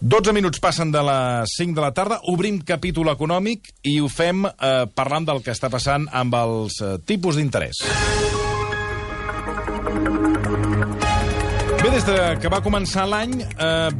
12 minuts passen de les 5 de la tarda, obrim capítol econòmic i ho fem parlant del que està passant amb els tipus d'interès. Bé, des que va començar l'any,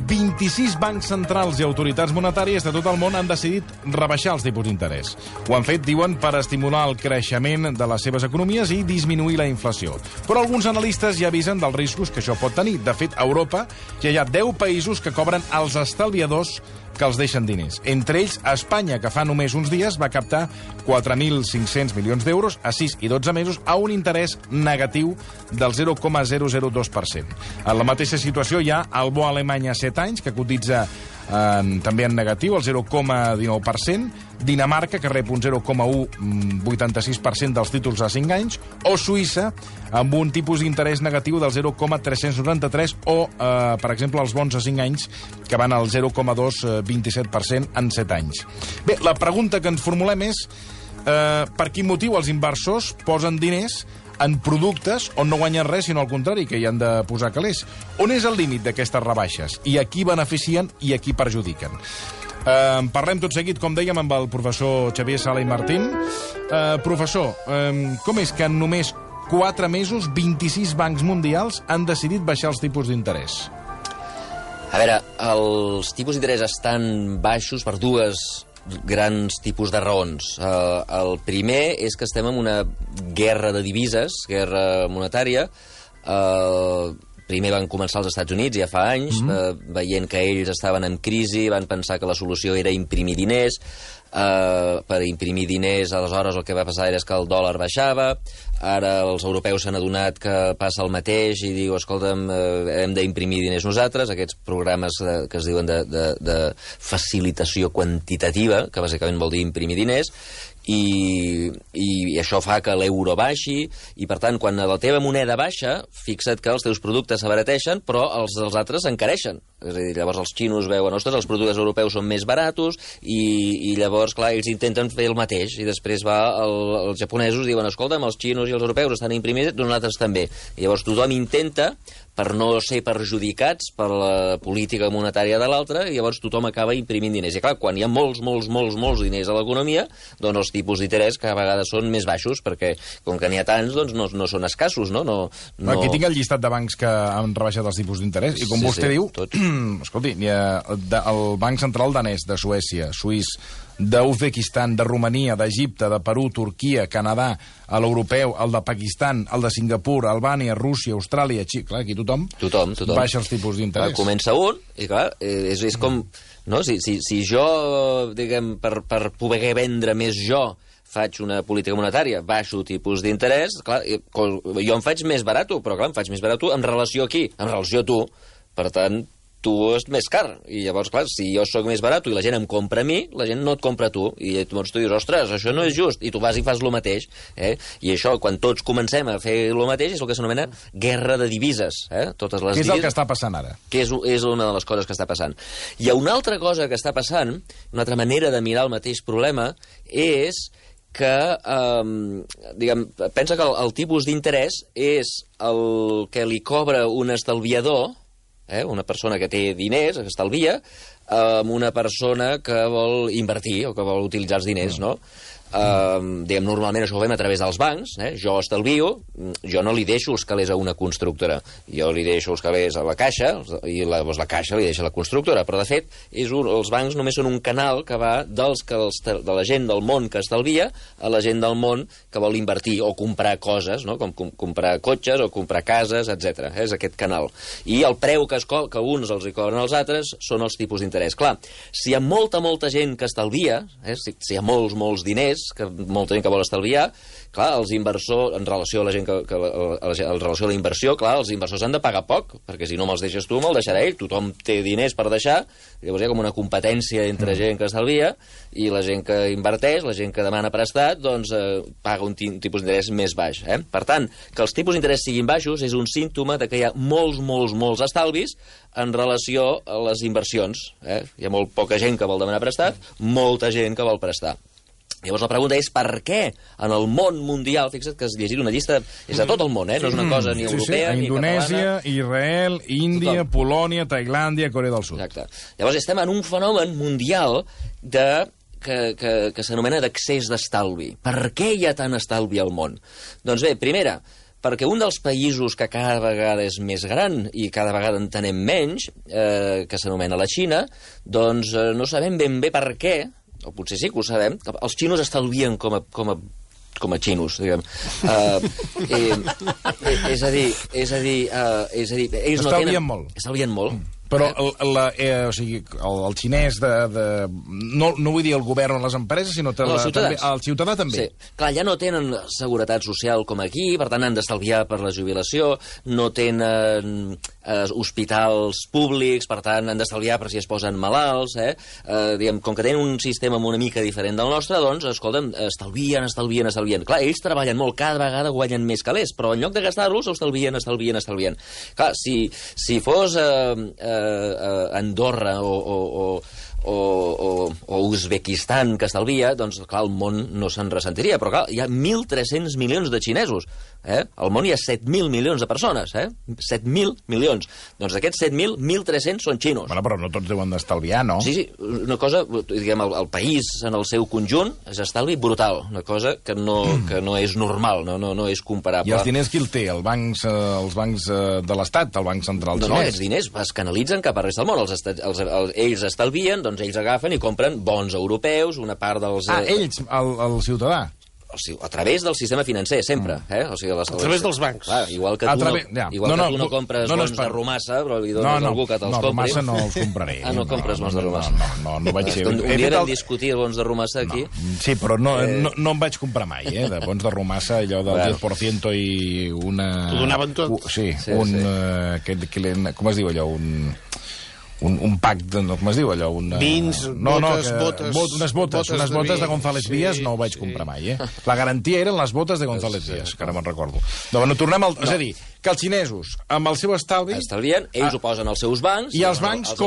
26 bancs centrals i autoritats monetàries de tot el món han decidit rebaixar els tipus d'interès. Ho han fet, diuen, per estimular el creixement de les seves economies i disminuir la inflació. Però alguns analistes ja avisen dels riscos que això pot tenir. De fet, a Europa ja hi ha 10 països que cobren als estalviadors que els deixen diners. Entre ells, Espanya, que fa només uns dies va captar 4.500 milions d'euros a 6 i 12 mesos a un interès negatiu del 0,002%. En la mateixa situació hi ha el bo alemany a 7 anys, que cotitza també en negatiu, el 0,19%, Dinamarca, que rep un 0,186% dels títols a 5 anys, o Suïssa, amb un tipus d'interès negatiu del 0,393%, o, per exemple, els bons a 5 anys, que van al 0,227% en 7 anys. Bé, la pregunta que ens formulem és per quin motiu els inversors posen diners en productes on no guanyen res, sinó al contrari, que hi han de posar calés. On és el límit d'aquestes rebaixes? I a qui beneficien i a qui perjudiquen? Parlem tot seguit, com dèiem, amb el professor Xavier Sala i Martín. Professor, com és que en només 4 mesos 26 bancs mundials han decidit baixar els tipus d'interès? A veure, els tipus d'interès estan baixos per dues grans tipus de raons. El primer és que estem en una guerra de divises, guerra monetària. Primer van començar als Estats Units, ja fa anys, veient que ells estaven en crisi, van pensar que la solució era imprimir diners. Per imprimir diners, aleshores el que va passar és que el dòlar baixava. Ara els europeus s'han adonat que passa el mateix i diu, escolta'm, hem d'imprimir diners nosaltres. Aquests programes que es diuen de facilitació quantitativa, que bàsicament vol dir imprimir diners, i això fa que l'euro baixi, i per tant, quan la teva moneda baixa, fixa't que els teus productes s'abarateixen, però els dels altres s'encareixen. És a dir, llavors els xinos veuen, ostres, els productes europeus són més baratos, i llavors, clar, ells intenten fer el mateix, i després els japonesos diuen, escolta'm, els xinos i els europeus estan imprimits, nosaltres també. I llavors tothom intenta, per no ser perjudicats per la política monetària de l'altre, i llavors tothom acaba imprimint diners. I clar, quan hi ha molts diners a l'economia, doncs els tipus d'interès cada vegada són més baixos, perquè com que n'hi ha tants, doncs no són escassos, no? Aquí tinc el llistat de bancs que han rebaixat els tipus d'interès, i com vostè diu, escolti, hi ha el Banc Central danès, de Suècia, suís, d'Uzbekistan, de Romania, d'Egipte, de Perú, Turquia, Canadà, l'europeu, el de Pakistan, el de Singapur, Albània, Rússia, Austràlia, Xile. Clar, aquí tothom baixa els tipus d'interès. Comença un, i clar, és com... No? Si jo, diguem, per poder vendre més jo, faig una política monetària, baixo tipus d'interès, clar, jo em faig més barat, però clar, em faig més barat en relació a qui? En relació a tu. Per tant, tu és més car. I llavors, clar, si jo sóc més barat i la gent em compra a mi, la gent no et compra a tu. I llavors tu dius, ostres, això no és just. I tu vas i fas el mateix. I això, quan tots comencem a fer el mateix, és el que s'anomena guerra de divises. Totes les Què és el que està passant ara? Que és una de les coses que està passant. Hi ha una altra cosa que està passant, una altra manera de mirar el mateix problema, és que, pensa que el tipus d'interès és el que li cobra un estalviador, una persona que té diners, que estalvia, amb una persona que vol invertir o que vol utilitzar els diners, no? Normalment això ho fem a través dels bancs. Jo estalvio, jo no li deixo els calés a una constructora, jo li deixo els calés a la caixa, i la caixa li deixa a la constructora, però de fet els bancs només són un canal que va de la gent del món que estalvia a la gent del món que vol invertir o comprar coses, com comprar cotxes o comprar cases, etc. És aquest canal. I el preu que uns els hi cobren als altres són els tipus d'interès. Clar, si hi ha molta gent que estalvia, si hi ha molts diners, que molta gent que vol estalviar, clar, els inversors, en relació a la gent en relació a la inversió, clar, els inversors han de pagar poc, perquè si no me'ls deixes tu, me'l deixarà ell. Tothom té diners per deixar, llavors hi ha com una competència entre gent que estalvia i la gent que inverteix, la gent que demana prestat, doncs paga un tipus d'interès més baix. Per tant, que els tipus d'interès siguin baixos és un símptoma de que hi ha molts estalvis en relació a les inversions. Hi ha molt poca gent que vol demanar prestat, molta gent que vol prestar. Llavors la pregunta és per què en el món mundial, fixa't que has llegit una llista, és de tot el món, no és una cosa ni europea ni catalana. Indonèsia, Israel, Índia, Polònia, Tailàndia, Corea del Sud. Exacte. Llavors estem en un fenomen mundial que s'anomena d'accés d'estalvi. Per què hi ha tant estalvi al món? Doncs bé, primera, perquè un dels països que cada vegada és més gran i cada vegada en tenem menys, que s'anomena la Xina, doncs no sabem ben bé per què, o potser sí que ho sabem, que els xinos estalvien com a xinos, diguem. És a dir, ells no tenen... Estalvien molt. Estalvien molt. Però o sigui, el xinès no vull dir el govern o les empreses, sinó el ciutadà també. Sí. Clar, ja no tenen seguretat social com aquí, per tant han d'estalviar per la jubilació, no tenen hospitals públics, per tant han d'estalviar per si es posen malalts, diguem, com que tenen un sistema una mica diferent del nostre, doncs, escolta'm, estalvien. Clar, ells treballen molt, cada vegada guanyen més calés, però en lloc de gastar-los, estalvien. Clar, si fos Andorra o Uzbekistan que estalvia, doncs, clar, el món no se'n ressentiria. Però, clar, hi ha 1.300 milions de xinesos. Al món hi ha 7.000 milions de persones. 7.000 milions. Doncs d'aquests 7.000, 1.300 són xinos. Bueno, però no tots deuen d'estalviar, no? Sí, una cosa, diguem, el país en el seu conjunt és estalvi brutal. Una cosa que no és normal, no és comparable. I els diners qui el té? Els bancs de l'Estat, el Banc Central xinès? No, aquests diners es canalitzen cap a resta del món. Ells estalvien, doncs ells agafen i compren bons europeus, una part dels... Ells, el ciutadà? A través del sistema financer, sempre. O sigui, a través dels bancs. Clar, igual que tu no compres bons de Romassa, però li dones a algú que te'ls compri. Romassa no els compraré. No compres bons de Romassa. No vaig ser... Un dia vam discutir bons de Romassa aquí. Sí, però no em vaig comprar mai, de bons de Romassa, allò del 10% i una... T'ho donaven tot? Sí, com es diu allò? Un pack, com es diu allò? Vins, botes... Unes botes de González Vías no ho vaig comprar mai, La garantia eren les botes de González Vías, que ara me'n recordo. Bueno, tornem al... És a dir, que els xinesos, amb el seu estalvi... Estalvien, ells ho posen als seus bancs... I els bancs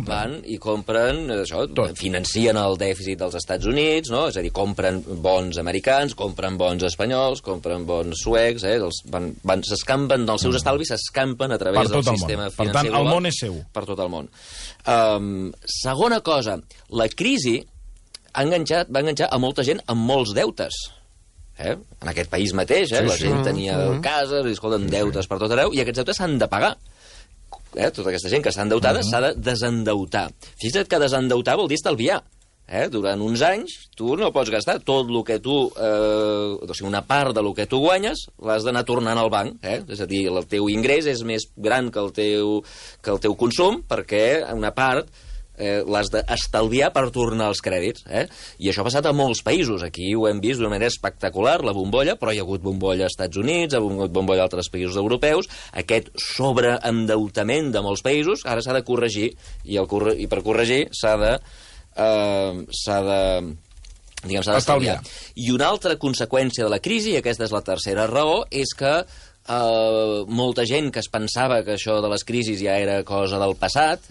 van i compren, això, financien el dèficit dels Estats Units, no? És a dir, compren bons americans, compren bons espanyols, compren bons suecs, s'escampen dels seus estalvis, s'escampen a través del sistema financer global. Per tant, el món és seu. Per tot el món. Segona cosa, la crisi va enganxar a molta gent amb molts deutes. En aquest país mateix, la gent tenia cases, i escolten, deutes per tot arreu, i aquests deutes s'han de pagar. Tota aquesta gent que està endeutada s'ha de desendeutar. Fixa't que desendeutar vol dir estalviar. Durant uns anys tu no pots gastar tot el que tu... o sigui, una part del que tu guanyes l'has d'anar tornant al banc. És a dir, el teu ingrés és més gran que el teu consum, perquè una part l'has d'estalviar per tornar els crèdits. I això ha passat a molts països. Aquí ho hem vist d'una manera espectacular, la bombolla, però hi ha hagut bombolla als Estats Units, hi ha hagut bombolla a altres països europeus. Aquest sobreendeutament de molts països ara s'ha de corregir, i per corregir s'ha d'estalviar. I una altra conseqüència de la crisi, i aquesta és la tercera raó, és que molta gent que es pensava que això de les crisis ja era cosa del passat,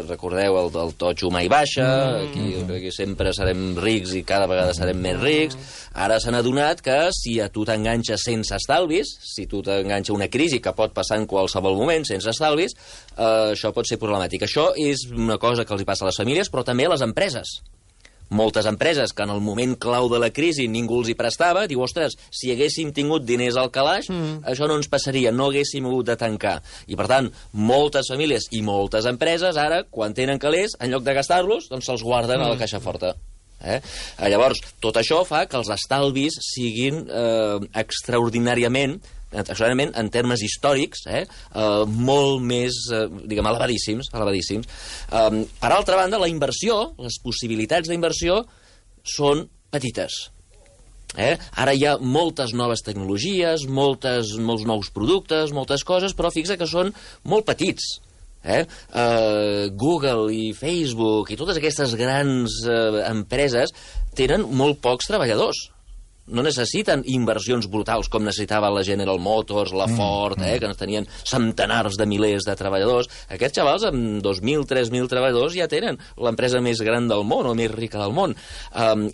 recordeu el totxo mai baixa, aquí sempre serem rics i cada vegada serem més rics, ara s'han adonat que si a tu t'enganxes sense estalvis, si tu t'enganxa una crisi que pot passar en qualsevol moment sense estalvis, això pot ser problemàtic. Això és una cosa que els hi passa a les famílies, però també a les empreses. Moltes empreses que en el moment clau de la crisi ningú els hi prestava, diu, ostres, si haguéssim tingut diners al calaix, això no ens passaria, no haguéssim hagut de tancar. I, per tant, moltes famílies i moltes empreses, ara, quan tenen calés, en lloc de gastar-los, doncs se'ls guarden a la caixa forta. Llavors, tot això fa que els estalvis siguin extraordinàriament, en termes històrics, molt més, diguem, elevadíssims. Per altra banda, la inversió, les possibilitats d'inversió són petites. Ara hi ha moltes noves tecnologies, molts nous productes, moltes coses, però fixa que són molt petits. Google i Facebook i totes aquestes grans empreses tenen molt pocs treballadors. no necessiten inversions brutals com necessitava la General Motors, la Ford, que tenien centenars de milers de treballadors. Aquests xavals, amb 2.000, 3.000 treballadors, ja tenen l'empresa més gran del món, o més rica del món.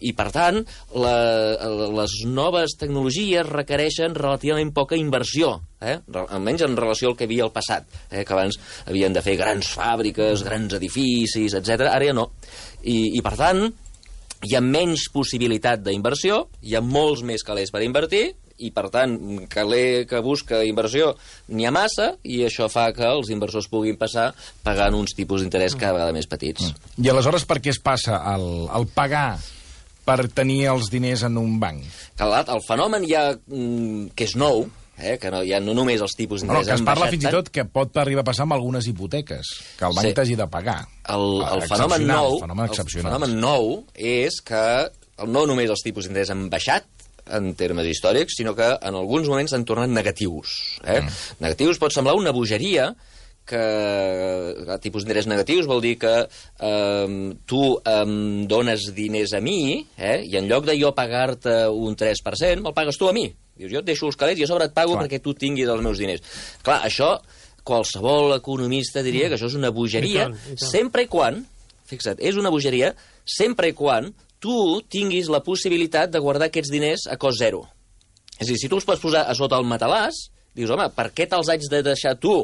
I, per tant, les noves tecnologies requereixen relativament poca inversió, almenys en relació al que havia al passat, que abans havien de fer grans fàbriques, grans edificis, etc. Ara ja no. I per tant, hi ha menys possibilitat d'inversió, hi ha molts més calés per invertir, i, per tant, caler que busca inversió n'hi ha massa, i això fa que els inversors puguin passar pagant uns tipus d'interès cada vegada més petits. I aleshores per què es passa el pagar per tenir els diners en un banc? El fenomen ja, que és nou, que no només els tipus d'interès que es parla fins i tot que pot arribar a passar amb algunes hipoteques, que el banc t'hagi de pagar. El fenomen nou és que no només els tipus d'interès han baixat en termes històrics, sinó que en alguns moments s'han tornat negatius. Negatius pot semblar una bogeria, que tipus d'interès negatius vol dir que tu em dones diners a mi, i en lloc de jo pagar-te un 3%, me'l pagues tu a mi. Dius, jo et deixo els calés i a sobre et pago perquè tu tinguis els meus diners. Clar, això, qualsevol economista diria que això és una bogeria, sempre i quan, fixa't, és una bogeria, sempre i quan tu tinguis la possibilitat de guardar aquests diners a cost zero. És a dir, si tu els pots posar a sota el matalàs, dius, home, per què te'ls haig de deixar tu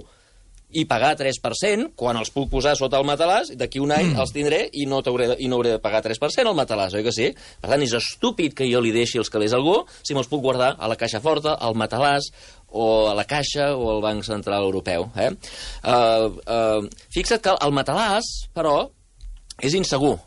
i pagar 3% quan els puc posar sota el matalàs, d'aquí un any els tindré i no hauré de pagar 3% al matalàs, oi que sí? Per tant, és estúpid que jo li deixi els calés a algú si me'ls puc guardar a la caixa forta, al matalàs, o a la Caixa o al Banc Central Europeu. Fixa't que el matalàs, però, és insegur.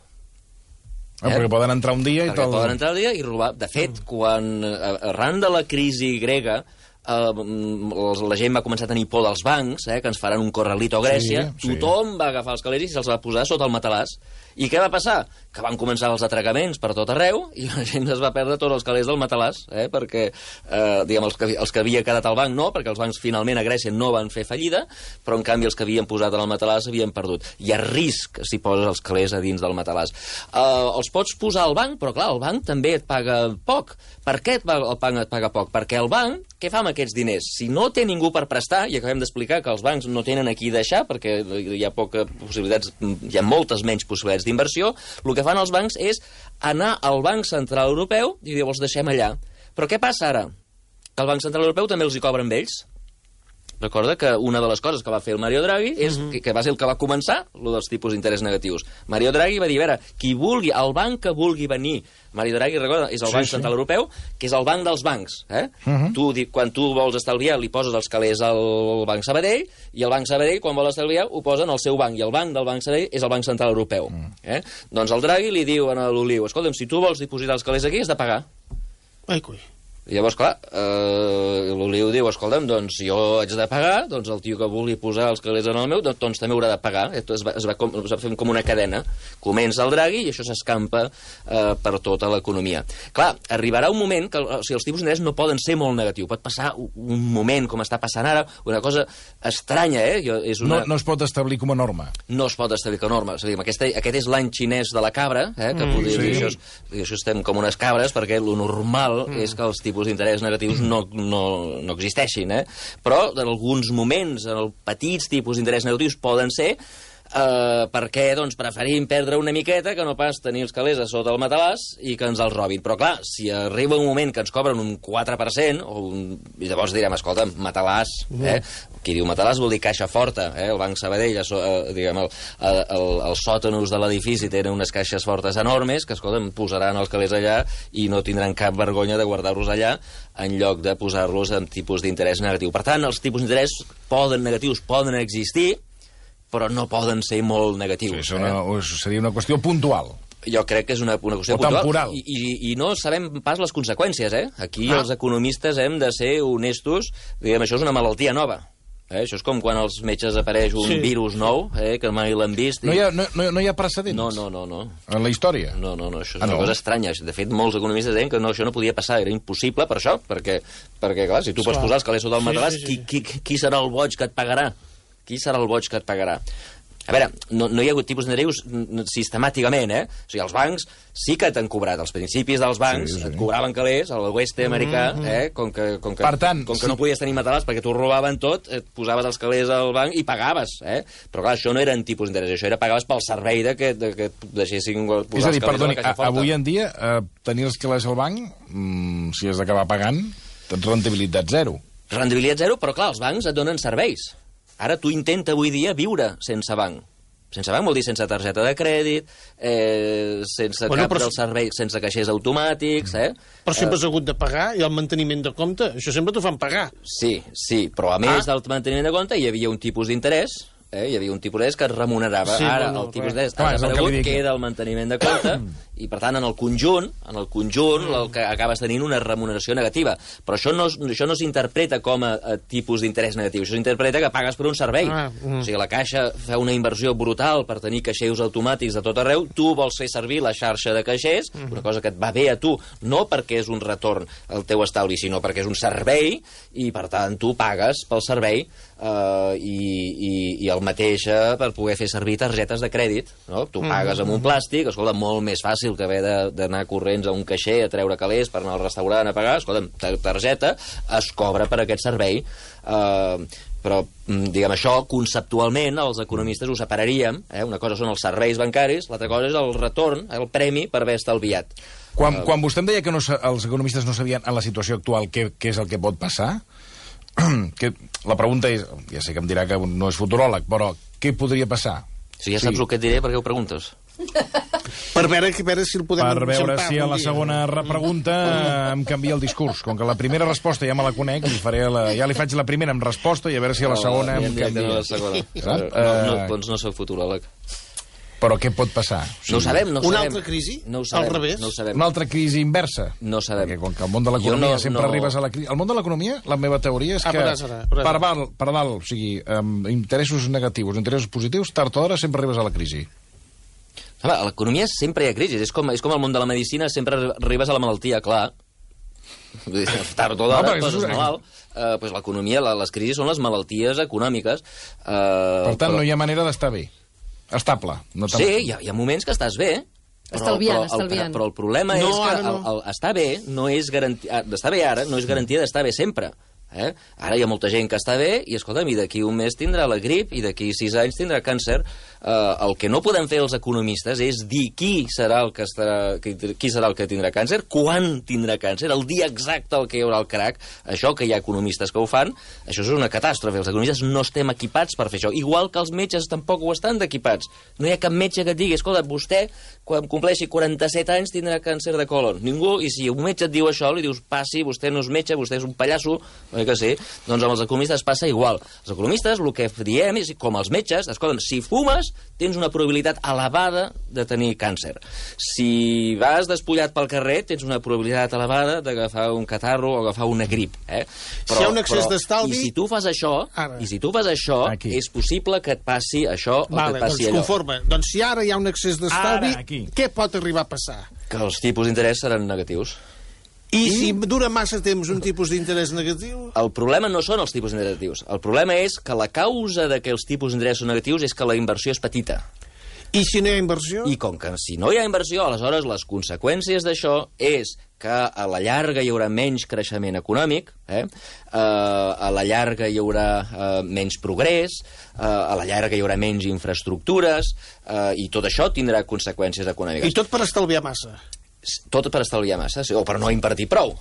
Perquè poden entrar un dia i robar. De fet, quan arran de la crisi grega la gent va començar a tenir por dels bancs, que ens faran un corralito a Grècia, tothom va agafar els calés i se'ls va posar sota el matalàs. I què va passar? Que van començar els atracaments per tot arreu i la gent es va perdre tots els calés del matalàs, perquè diguem, els que havia quedat al banc no, perquè els bancs finalment a Grècia no van fer fallida, però en canvi els que havien posat en el matalàs havien perdut. Hi ha risc si poses els calés a dins del matalàs. Els pots posar al banc, però clar, el banc també et paga poc. Per què el banc et paga poc? Perquè el banc, què fa amb aquests diners? Si no té ningú per prestar, i acabem d'explicar que els bancs no tenen a qui deixar, perquè hi ha poca possibilitats, hi ha moltes menys possibilitats d'inversió, el que fan els bancs és anar al Banc Central Europeu i dir, els deixem allà. Però què passa ara? Que el Banc Central Europeu també els hi cobra amb ells. Recorda que una de les coses que va fer el Mario Draghi és que va ser el que va començar, el dels tipus d'interès negatius. Mario Draghi va dir, a veure, qui vulgui, el banc que vulgui venir, Mario Draghi, recorda, és el Banc Central Europeu, que és el banc dels bancs. Quan tu vols estalviar, li poses els calés al Banc Sabadell, i el Banc Sabadell, quan vol estalviar, ho posen al seu banc, i el banc del Banc Sabadell és el Banc Central Europeu. Doncs el Draghi li diu a l'Oliu, escolta'm, si tu vols dipositar els calés aquí, has de pagar. Ai, coi. I llavors, clar, l'Oliu diu, escolta'm, doncs jo haig de pagar, doncs el tio que vulgui posar els calés en el meu, doncs també haurà de pagar. Es va fer com una cadena. Comença el Draghi i això s'escampa per tota l'economia. Clar, arribarà un moment que els tipus d'interès no poden ser molt negatius. Pot passar un moment, com està passant ara, una cosa estranya, No es pot establir com a norma. No es pot establir com a norma. Aquest és l'any xinès de la cabra, que podria dir això estem com unes cabres, perquè el normal és que els tipus d'interès negatius no existeixin, però en alguns moments, en els petits tipus d'interès negatius poden ser, perquè doncs, preferim perdre una miqueta que no pas tenir els calés a sota el matalàs i que ens els robin. Però clar, si arriba un moment que ens cobren un 4%, i llavors direm, escolta'm, matalàs, qui diu matalàs vol dir caixa forta, el Banc Sabadell, diguem, els sòtanos de l'edifici tenen unes caixes fortes enormes que, escolta'm, posaran els calés allà i no tindran cap vergonya de guardar-los allà en lloc de posar-los en tipus d'interès negatiu. Per tant, els tipus d'interès negatius poden existir, però no poden ser molt negatius. Seria una qüestió puntual. Jo crec que és una qüestió puntual. I no sabem pas les conseqüències, Aquí els economistes hem de ser honestos. Diguem, això és una malaltia nova. Això és com quan als metges apareix un virus nou, que mai l'han vist. No hi ha precedents? No. En la història? No, això és una cosa estranya. De fet, molts economistes deien que això no podia passar, era impossible per això, perquè clar, si tu pots posar els calés sota el matalàs, qui serà el boig que et pagarà? Qui serà el boig que et pagarà? A veure, no hi ha hagut tipus d'interès sistemàticament, O sigui, els bancs sí que t'han cobrat. Als principis dels bancs et cobraven calés, a l'oest americà, com que no podies tenir matalàs perquè t'ho robaven tot, et posaves els calés al banc i pagaves, Però clar, això no eren tipus d'interès, això era pagaves pel servei que et deixessin posar els calés a la caixa forta. Avui en dia, tenir els calés al banc, si has d'acabar pagant, tens rendibilitat zero. Rendibilitat zero, però clar, els bancs et donen serveis. Ara tu intenta avui dia viure sense banc. Sense banc vol dir sense targeta de crèdit, sense cap del servei, sense caixers automàtics, Però sempre has hagut de pagar, i el manteniment de compte, això sempre t'ho fan pagar. Sí, però a més del manteniment de compte hi havia un tipus d'interès, hi havia un tipus d'interès que es remunerava. Ara el tipus d'interès ha desaparegut, queda el manteniment de compte, i per tant en el conjunt el que acabes tenint una remuneració negativa. Però això no s'interpreta com a tipus d'interès negatiu, això s'interpreta que pagues per un servei. O sigui, la Caixa fa una inversió brutal per tenir caixers automàtics de tot arreu, tu vols fer servir la xarxa de caixers, una cosa que et va bé a tu, no perquè és un retorn al teu estalvi, sinó perquè és un servei, i per tant tu pagues pel servei, i el mateix per poder fer servir targetes de crèdit, no? Tu pagues amb un plàstic, escolta, molt més fàcil que haver d'anar corrents a un caixer a treure calés per anar al restaurant a pagar. Escolta, targeta es cobra per aquest servei, però, diguem, això conceptualment els economistes ho separaríem, una cosa són els serveis bancaris, l'altra cosa és el retorn, el premi per haver estalviat. Quan vostè em deia que els economistes no sabien en la situació actual què és el que pot passar, la pregunta és, ja sé que em dirà que no és futuròleg, però què podria passar? Si ja saps el que et diré, per què ho preguntes? Per veure si el podem Per veure si a la segona pregunta em canvia el discurs. Com que la primera resposta ja me la conec, ja li faig la primera amb resposta i a veure si a la segona em canvia. Doncs no soc futuròleg. Però què pot passar? No ho sabem, Una altra crisi? Al revés? Una altra crisi inversa? No ho sabem. Perquè com que al món de l'economia sempre arribes a la crisi... Al món de l'economia, la meva teoria és que per dalt, o sigui, interessos negatius, interessos positius, tard o d'hora sempre arribes a la crisi. A l'economia sempre hi ha crisi. És com el món de la medicina, sempre arribes a la malaltia, clar. Tard o d'hora, poses malalt. L'economia, les crisis són les malalties econòmiques. Per tant, no hi ha manera d'estar bé. Estable. Sí, hi ha moments que estàs bé. Estalviant. Però el problema és que estar bé no és garantia... Estar bé ara no és garantia d'estar bé sempre. Ara hi ha molta gent que està bé i, escolta'm, i d'aquí un mes tindrà la grip i d'aquí 6 anys tindrà càncer. El que no podem fer els economistes és dir qui serà el que tindrà càncer, quan tindrà càncer, el dia exacte el que hi haurà el crac. Això que hi ha economistes que ho fan, això és una catàstrofe. Els economistes no estem equipats per fer això. Igual que els metges tampoc ho estan equipats. No hi ha cap metge que et digui, escolta, vostè, quan compleixi 47 anys tindrà càncer de colon. Ningú, i si un metge et diu això, li dius, passi, vostè no és metge, vostè és un pallasso, que sí, doncs amb els economistes passa igual. Els economistes el que diem és, com els metges, escolta'm, si fumes tens una probabilitat elevada de tenir càncer. Si vas despullat pel carrer tens una probabilitat elevada d'agafar un catarro o agafar una grip. Si hi ha un excés d'estalvi... I si tu fas això, és possible que et passi això o que et passi allò. Conforme. Doncs si ara hi ha un excés d'estalvi, què pot arribar a passar? Que els tipus d'interès seran negatius. I si dura massa temps un tipus d'interès negatiu? El problema no són els tipus negatius. El problema és que la causa de que els tipus d'interès són negatius és que la inversió és petita. I si no hi ha inversió? I com que si no hi ha inversió, aleshores les conseqüències d'això és que a la llarga hi haurà menys creixement econòmic, a la llarga hi haurà menys progrés, a la llarga hi haurà menys infraestructures, i tot això tindrà conseqüències econòmiques. I tot per estalviar massa? Tot per estalviar massa, o per no invertir prou.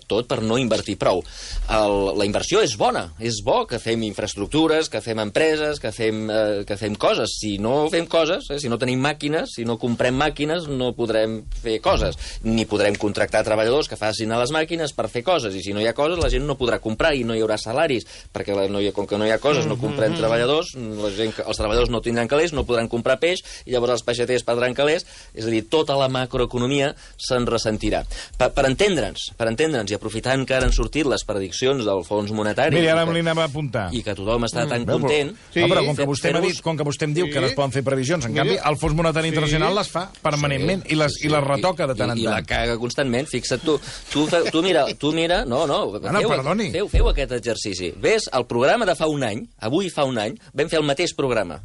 Tot per no invertir prou. La inversió és bona, és bo que fem infraestructures, que fem empreses, que fem coses. Si no fem coses, si no tenim màquines, si no comprem màquines, no podrem fer coses. Ni podrem contractar treballadors que facin a les màquines per fer coses. I si no hi ha coses, la gent no podrà comprar i no hi haurà salaris, perquè com que no hi ha coses, no comprem treballadors, els treballadors no tindran calés, no podran comprar peix, i llavors els peixaters perdran calés. És a dir, tota la macroeconomia se'n ressentirà. Per entendre'ns, i aprofitant que ara han sortit les prediccions del Fons Monetari... Mira, ara me li anava a apuntar. I que tothom està tan content... Però com que vostè m'ha dit, com que vostè em diu que no es poden fer previsions, en canvi, el Fons Monetari Internacional les fa permanentment i les retoca de tant en tant. I la caga constantment. Fixa't tu. Tu mira... No, perdoni. Feu aquest exercici. Ves al programa de fa un any, avui fa un any, vam fer el mateix programa.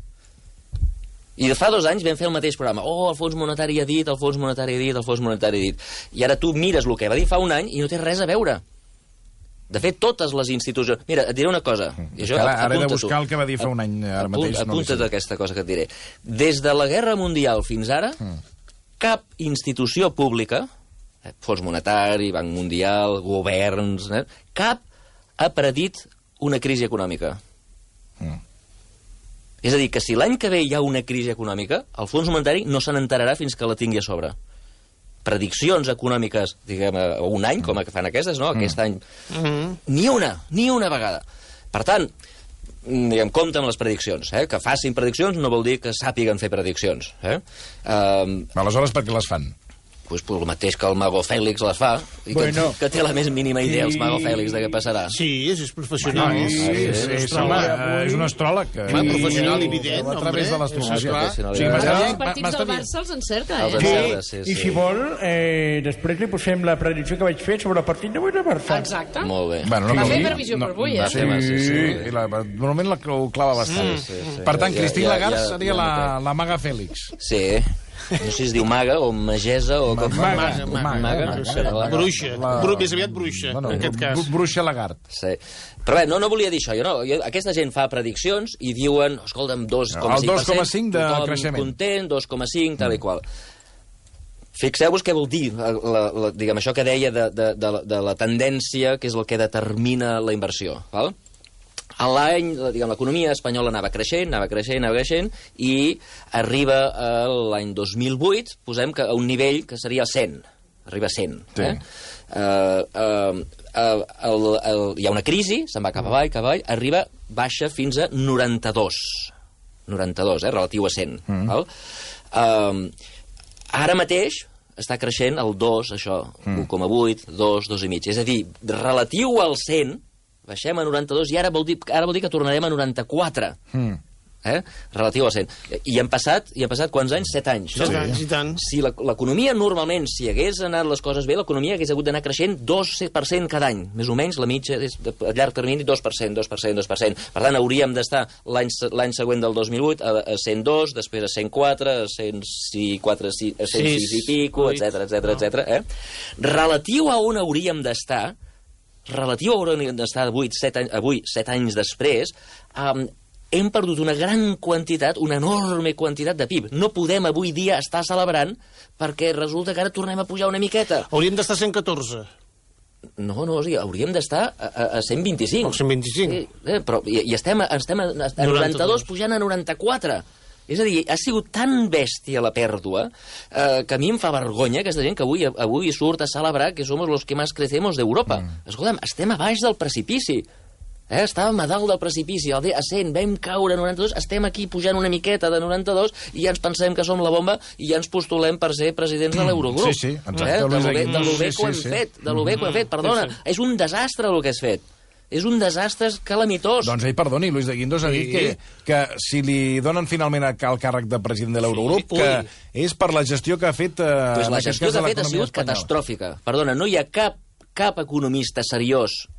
I de fa 2 anys vam fer el mateix programa. Oh, el Fons Monetari ha dit, el Fons Monetari ha dit, el Fons Monetari ha dit. I ara tu mires el que va dir fa un any i no té res a veure. De fet, totes les institucions... Mira, et diré una cosa. Ara he de buscar el que va dir fa un any. Apunta't aquesta cosa que et diré. Des de la Guerra Mundial fins ara, cap institució pública, Fons Monetari, Banc Mundial, governs, cap ha predit una crisi econòmica. És a dir, que si l'any que ve hi ha una crisi econòmica, el Fons Monetari no se n'enterarà fins que la tingui a sobre. Prediccions econòmiques, diguem, un any, com que fan aquestes, no? Aquest any. Ni una vegada. Per tant, diguem, compte amb les prediccions. Que facin prediccions no vol dir que sàpiguen fer prediccions. Aleshores, per què les fan? Pues el mateix que el Mago Fèlix les fa, i que té la més mínima idea, el Mago Fèlix, de què passarà. Sí, és professional. És un astròleg. Professional i evident, a través de l'astrologia. Els partits del Barça els encerta, I si vol, després li posem la predicció que vaig fer sobre el partit d'avui del Barça. Exacte. Molt bé. Va fer previsió per avui, Sí, normalment ho clava bastant. Per tant, Christine Lagarde seria la Maga Fèlix. Sí. No sé si es diu maga o magesa o com... Maga. Bruixa. Més aviat bruixa, en aquest cas. Bruixa Lagarde. Sí. Però bé, no volia dir això. Aquesta gent fa prediccions i diuen, escolta'm, 2,5%. El 2,5 de creixement. Content, 2,5, tal i qual. Fixeu-vos què vol dir, diguem, això que deia de la tendència, que és el que determina la inversió, val? A l'any, diguem, l'economia espanyola anava creixent, i arriba a l'any 2008, posem que a un nivell que seria 100. Arriba a 100. Sí. Hi ha una crisi, se'n va cap avall, arriba, baixa fins a 92. 92, relatiu a 100. Val? Ara mateix està creixent el 2, això, 1,8, 2, 2,5. És a dir, relatiu al 100, baixem a 92 i ara vol dir que tornarem a 94. Relatiu a 100. I han passat quants anys? 7 anys. 7 anys, i tant. Si l'economia normalment, si hagués anat les coses bé, l'economia hagués hagut d'anar creixent 2% cada any. Més o menys la mitja, a llarg termini, 2%. Per tant, hauríem d'estar l'any següent del 2008 a 102, després a 104, a 106 i pico, etc. Relatiu a on hauríem d'estar, avui, 7 anys després, hem perdut una gran quantitat, una enorme quantitat de PIB. No podem avui dia estar celebrant perquè resulta que ara tornem a pujar una miqueta. Hauríem d'estar a 114. No, o sigui, hauríem d'estar a 125. O 125. Sí, però estem a 92 pujant a 94. És a dir, ha sigut tan bèstia la pèrdua que a mi em fa vergonya aquesta gent que avui surt a celebrar que som los que más crecemos d'Europa. Escolta'm, estem a baix del precipici. Estàvem a dalt del precipici, a 100, vam caure a 92, estem aquí pujant una miqueta de 92 i ja ens pensem que som la bomba i ja ens postulem per ser presidents de l'Eurogrup. Sí, exacte. De lo bé que ho hem fet, perdona. És un desastre el que has fet. És un desastre calamitós. Doncs ell, perdoni, Luis de Guindos ha dit que si li donen finalment el càrrec de president de l'Eurogrup, que és per la gestió que ha fet... Pues la gestió que ha fet ha sigut catastròfica. Perdona, no hi ha cap economista seriós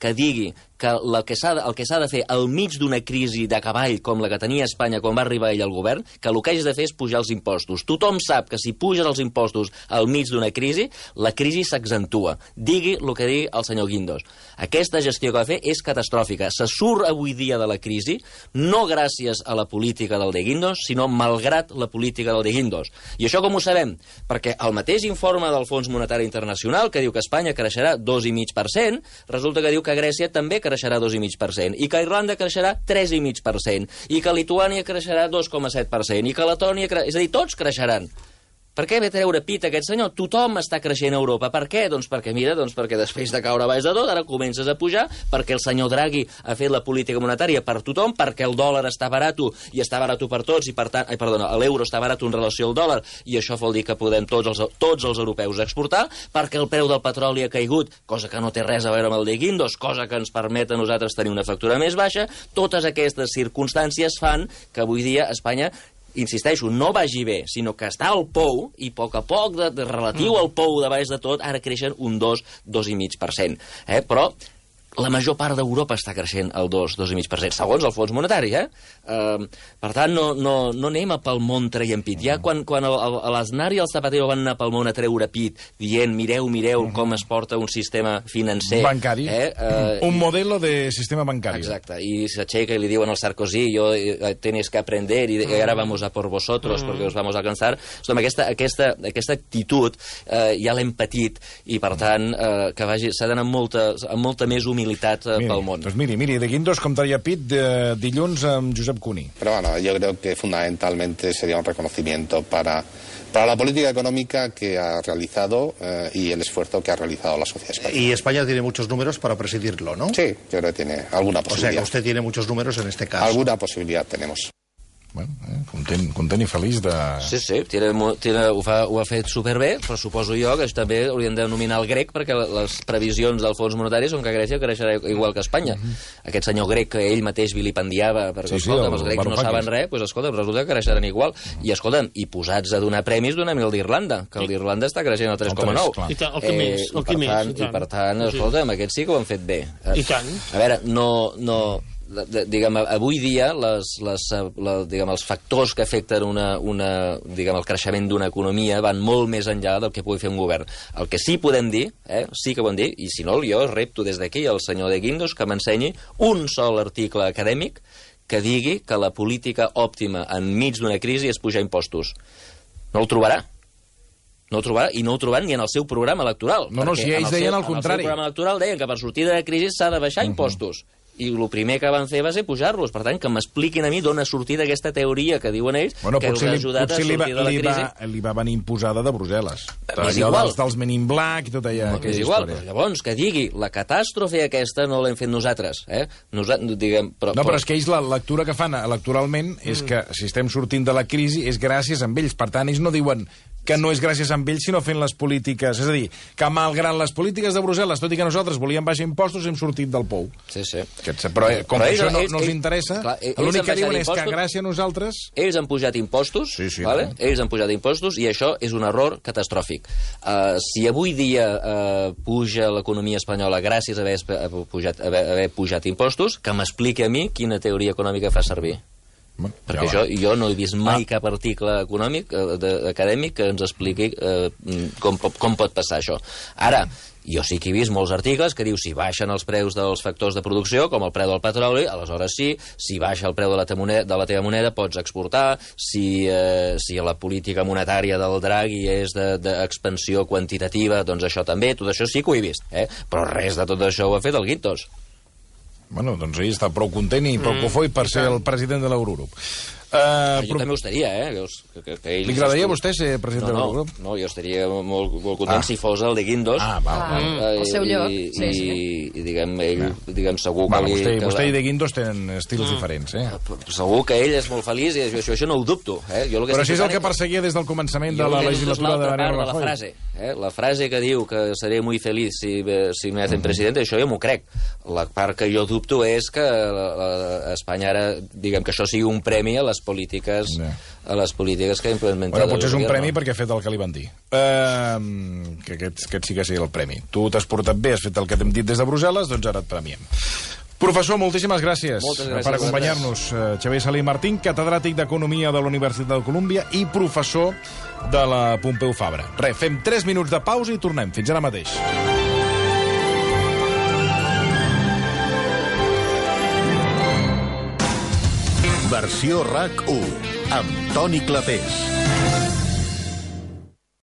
que digui que el que s'ha de fer al mig d'una crisi de cavall com la que tenia Espanya quan va arribar ell al govern, que el que hagis de fer és pujar els impostos. Tothom sap que si puges els impostos al mig d'una crisi, la crisi s'accentua. Digui el que digui el senyor Guindos. Aquesta gestió que va fer és catastròfica. Se surt avui dia de la crisi, no gràcies a la política del de Guindos, sinó malgrat la política del de Guindos. I això com ho sabem? Perquè el mateix informe del Fons Monetari Internacional, que diu que Espanya creixerà 2,5%, resulta que diu que Grècia també creixerà 2,5%, i que Irlanda creixerà 3,5%, i que Lituània creixerà 2,7%, i que Letònia... És a dir, tots creixeran. Per què ve a treure pit aquest senyor? Tothom està creixent a Europa. Per què? Doncs perquè després de caure baix de tot, ara comences a pujar, perquè el senyor Draghi ha fet la política monetària per tothom, perquè el dòlar està barat i està barat per tots, i per tant, l'euro està barat en relació al dòlar, i això vol dir que podem tots els europeus exportar, perquè el preu del petroli ha caigut, cosa que no té res a veure amb el de Guindos, cosa que ens permet a nosaltres tenir una factura més baixa. Totes aquestes circumstàncies fan que avui dia Espanya, insisteixo, no vagi bé, sinó que està al pou, i a poc, relatiu al pou de baix de tot, ara creixen un 2,5%. Però la major part d'Europa està creixent al 2,5%, segons el Fons Monetari, Per tant, no anem a pel món traient pit. Ja quan l'Aznar i el Zapatero van anar pel món a treure pit, dient, mireu com es porta un sistema financer... Bancari. Un modelo de sistema bancari. Exacte, i s'aixeca i li diuen al Sarkozy, tenéis que aprender, i ara vamos a por vosotros, porque os vamos a alcanzar. Aquesta actitud ja l'hem patit, i per tant, que s'ha d'anar amb molta més humilitat pel món. Doncs miri, de Guindos com traia pit dilluns amb Josep Cuní. Pero bueno, yo creo que fundamentalmente sería un reconocimiento para la política económica que ha realizado y el esfuerzo que ha realizado la sociedad española. Y España tiene muchos números para presidirlo, ¿no? Sí, yo creo que tiene alguna posibilidad. O sea, que usted tiene muchos números en este caso. Alguna posibilidad tenemos. Bueno, content i feliç de... Sí, ho ha fet superbé, però suposo jo que també haurien de nominar el grec, perquè les previsions del Fons Monetari són que Grècia creixerà igual que Espanya. Aquest senyor grec que ell mateix vilipendiava, perquè, escolta'm, els grecs no saben res, doncs, escolta'm, resulta que creixeran igual. I, escolta'm, i posats a donar premis, donem el d'Irlanda, que el d'Irlanda està creixent al 3,9. I tant, el que més. I per tant, escolta'm, aquests sí que ho han fet bé. I tant. A veure, diguem, avui dia els factors que afecten el creixement d'una economia van molt més enllà del que pugui fer un govern. El que sí podem dir, sí que podem dir, i si no, jo repto des d'aquí al senyor de Guindos que m'ensenyi un sol article acadèmic que digui que la política òptima enmig d'una crisi és pujar impostos. No el trobarà. No ho trobarà, i no ho trobaran ni en el seu programa electoral. No, si ells deien el contrari. En el seu programa electoral deien que per sortir de la crisi s'ha de baixar impostos. I el primer que van fer va ser pujar-los. Per tant, que m'expliquin a mi d'on ha sortit aquesta teoria que diuen ells que els ha ajudat a sortir de la crisi. Li va venir imposada de Brussel·les. És igual. Dels Men in Black i tota aquella història. Però llavors, que digui, la catàstrofe aquesta no l'hem fet nosaltres. Però és que ells la lectura que fan electoralment és que si estem sortint de la crisi és gràcies a ells. Per tant, ells no diuen que no és gràcies a ells, sinó fent les polítiques. És a dir, que malgrat les polítiques de Brussel·les, tot i que nosaltres volíem baixar impostos, hem sortit del pou. Sí. Però com que això no els interessa, l'únic que diuen és que gràcies a nosaltres... Ells han pujat impostos, ells han pujat impostos, i això és un error catastròfic. Si avui dia puja l'economia espanyola gràcies a haver pujat impostos, que m'expliqui a mi quina teoria econòmica fa servir. Perquè jo no he vist mai cap article econòmic, acadèmic, que ens expliqui com pot passar això. Ara, jo sí que he vist molts articles que diu si baixen els preus dels factors de producció, com el preu del petroli, aleshores sí, si baixa el preu de la teva moneda pots exportar, si la política monetària del Draghi és d'expansió quantitativa, doncs això també, tot això sí que ho he vist, però res de tot això ho ha fet el Guindos. Bueno, doncs ell està prou content i prou cofoi per ser el president de l'Eurogrup. Jo també ho estaria, Li agradaria a vostè ser president de l'Eurogrup? No, jo estaria molt content si fos el de Guindos. El seu lloc. I diguem, segur que... Vostè i de Guindos tenen estils diferents, Segur que ell és molt feliç i això no ho dubto. Però si és el que perseguia des del començament de la legislatura de Mariano Rajoy. La frase que diu que seré muy feliz si me hacen presidente, això jo m'ho crec. La part que jo dubto és que Espanya ara, diguem que això sigui un premi a les polítiques que ha implementat. Bueno, potser és un premi perquè ha fet el que li van dir. Que aquest sí que sigui el premi. Tu t'has portat bé, has fet el que t'hem dit des de Brussel·les, doncs ara et premiem. Professor, moltíssimes gràcies per acompanyar-nos. Xavier Salí Martín, catedràtic d'Economia de la Universitat de Colúmbia i professor de la Pompeu Fabra. Fem 3 minuts de pausa i tornem. Fins ara mateix. Versió RAC 1, amb Toni Clapés.